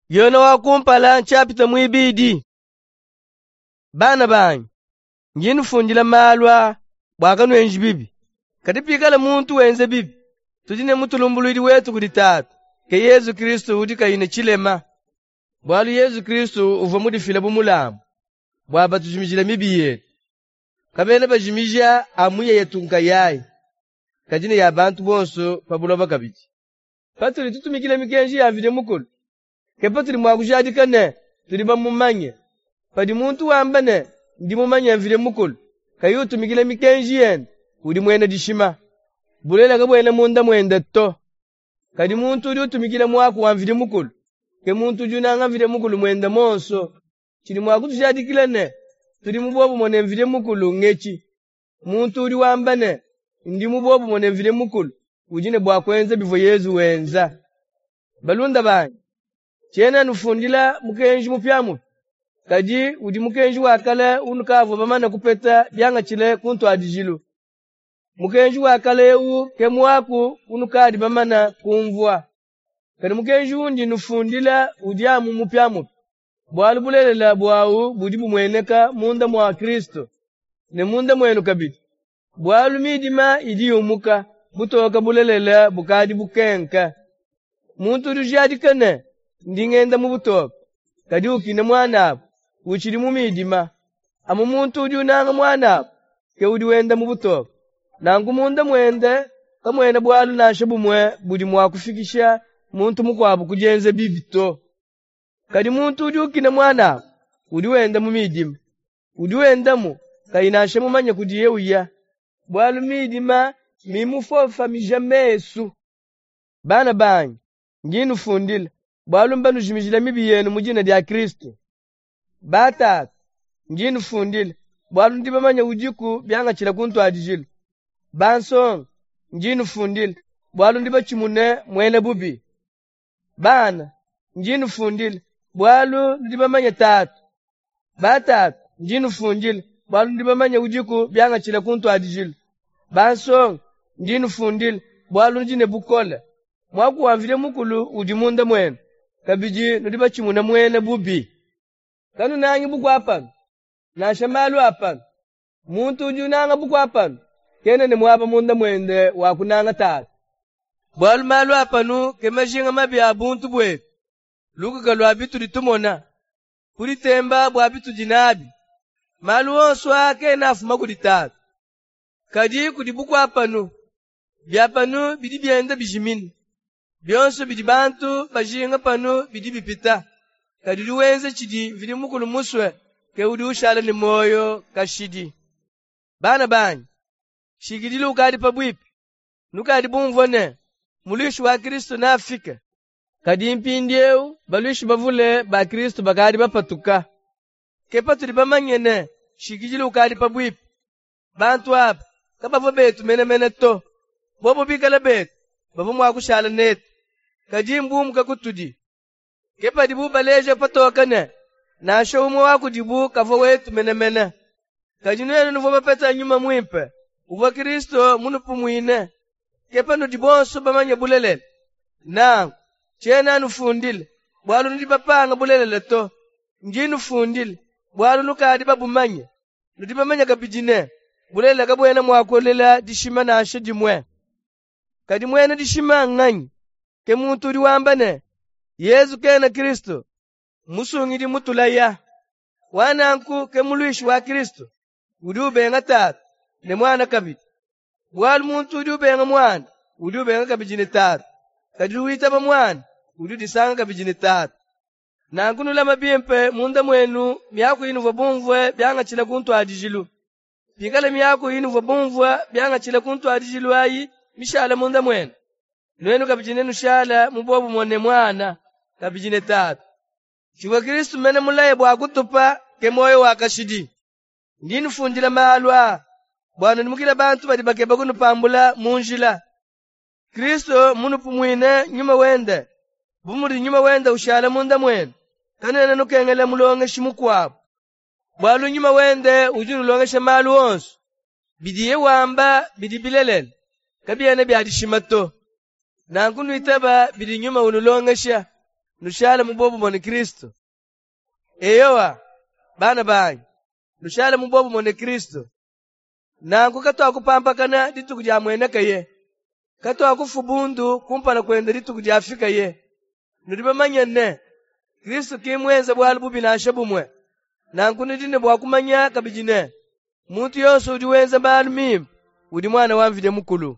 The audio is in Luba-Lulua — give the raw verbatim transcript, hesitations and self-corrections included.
Yone wa kumpala nshapita muibidi. Bana banyi, ndi nufundila malu aa bua kanuenji bibi. Kadi pikala muntu wenza bibi, tudi ne mutulumbuluidi wetu kudi Tatu, ke Yezu Kristu udi kayi ne tshilema. Bualu Yezu Kristu uvua mudifile bu mulambu bua batujimijile mibi yetu. Kabena bajimija amu yetu nkayayi, kadi ne ya bantu bonso pa buloba kabidi. Patudi tutumikila mikenji ya Mvidi Mukulu, ke patudi mua kujadika ne tudi bamumanye. Padi muntu wamba ne, ndi mumanye Mvidi Mukulu, kayi utumikila mikenji yende, udi muena dishima. Bulelela kabuena munda muende to. Kadi muntu udi utumikila muaku wa Mvidi Mukulu, ke muntu udi unanga Mvidi Mukulu muende muonso. Tshidi mua kutujadikila ne, tudi mu bobumue ne Mvidi Mukulu ngetshi: muntu udi wamba ne, ndi mu bobumue ne Mvidi Mukulu, udi ne bua kuenza bivua Yezu wenza. Balunda banyi, tshiena nufundila mukenji mupiamupia, kadi udi mukenji wa kale unukavua bamane kupeta biangatshile ku ntuadijilu. Mukenji wa kale ewu ke muaku unukadi bamane kumvua. Kadi mukenji undi nufundila udi amu mupiamupia, bualu bulelela buawu budi bumueneka munda mua Kristu, ne munda muenu kabidi. Bualu midima idi yumuka, butoke bulelela bukadi bukenka. Muntu udi ujadika ne, ndi ngenda mu butoke, kadi ukina muanabu, utshidi mu midima. Amu muntu udi unanga muanabu ke udi wenda mu butoke. Nanku munda muende kamuena bualu nansha bumue budi mua kufikisha muntu mukuabu ku dienza bibi to. Kadi muntu udi ukina muanabu udi wenda mu midima. Udi wendamu kayi nansha mumanye kudiye uya, bualu midima mmimufofamije mesu. Bana banyi, ndi nufundila, bualu mbanujimijile mibi yenu mu dina dia Kristu. Batatu, ndi nufundila, bualu ndi bamanye udiku biangatshile ku ntuadijilu. Bansonga, ndi nufundila, bualu ndi batshimune muena bubi. Bana, ndi nufundila, bualu nudi bamanye Tatu. Batatu, ndi nufundila, bualu nudi bamanye udiku biangatshile ku ntuadijilu. Bansonga, ndi nufundila, bualu nudi ne bukole. Muaku wa Mvidi Mukulu udi munda muenu, kabidi nudi batshimune muena bubi. Kanunangi bukua panu, nansha malu a panu. Muntu udi unanga bukua panu, kena ne muaba munda muende wa kunanga Tatu. Bualu malu a panu ke majinga mabi a buntu buetu, lukuka lua bitudi tumona, kuditemba bua bitudi nabi. Malu onso aa kena afuma kudi Tatu, kadi kudi bukua panu. Bia panu bidi bienda bijimina. Bionso bidi bantu bajinga panu bidi bipita. Kadi udi wenza tshidi Mvidi Mukulu musue ke udi ushala ne muoyo kashidi. Bana banyi, nshikidilu ukadi pabuipi. Nukadi bumvue ne, muluishi wa Kristu neafike. Kadi mpindiewu baluishi bavule ba Kristu bakadi bapatuka. Ke patudi bamanye ne, nshikidilu ukadi pabuipi. Bantu aba kabavua betu menemene to. Bobo bikale betu, bavua mua kushala netu. Kadi mbumuke kutudi. Ke padibu baleja patoke ne, nansha umue wa kudibu kavua wetu menemene. Kadi nuenu nuvua bapete Nyuma Muimpe, uvua Kristu munupumuine. Ke panudi bonso bamanye bulelela. Nanku, tshiena nufundila, bualu nudi bapange bulelela to. Ndi nufundila, bualu nukadi babumanye. Nudi bamanye kabidi ne, bulelela kabuena mua kulela dishima nansha dimue. Kadi muena dishima nnganyi? Ke muntu udi wamba ne, Yezu kena Kristu, musungidi mutulaya. Wa nanku ke muluishi wa Kristu, udi ubenga Tatu ne Muana kabidi. Bualu muntu udi ubenga Muana, udi ubenga kabidi ne Tatu. Kadi udi witaba Muana, udi udisanga kabidi ne Tatu. Nanku nulame bimpe munda muenu miaku inuvua bumvue biangatshile ku ntuadijilu. Pikala miaku inuvua bumvue biangatshile ku ntuadijilu ayi mishale munda muenu, nuenu kabidi nenushale mu bobumue ne Muana, kabidi ne Tatu. Tshivua Kristu mene mulaye bua kutupa ke muoyo wa kashidi. Ndi nufundila malu aa bua nudimukile bantu badi bakeba kunupambula mu njila. Kristu munupumuine Nyuma wende, bu mudi Nyuma wende ushala munda muenu, kanuena nukengela mulongeshi mukuabu. Bualu Nyuma wende udi unulongesha malu onso. Bidiye wamba bidi bilelela, kabiena bia dishima to. Nanku nuitaba bidi Nyuma unulongesha. Nushale mu bobumue ne Kristu. Eyowa, bana banyi, nushale mu bobumue ne Kristu. Nanku katuakupampakana dituku diamuenekaye. Katuakufua bundu kumpala kuende dituku diafikaye. Nudi bamanye ne, Kristu ki mmuenze bualu bubi nansha bumue. Nanku nudi ne bua kumanya kabidi ne, muntu yonso udi wenza malu mimpe udi muana wa Mvidi Mukulu.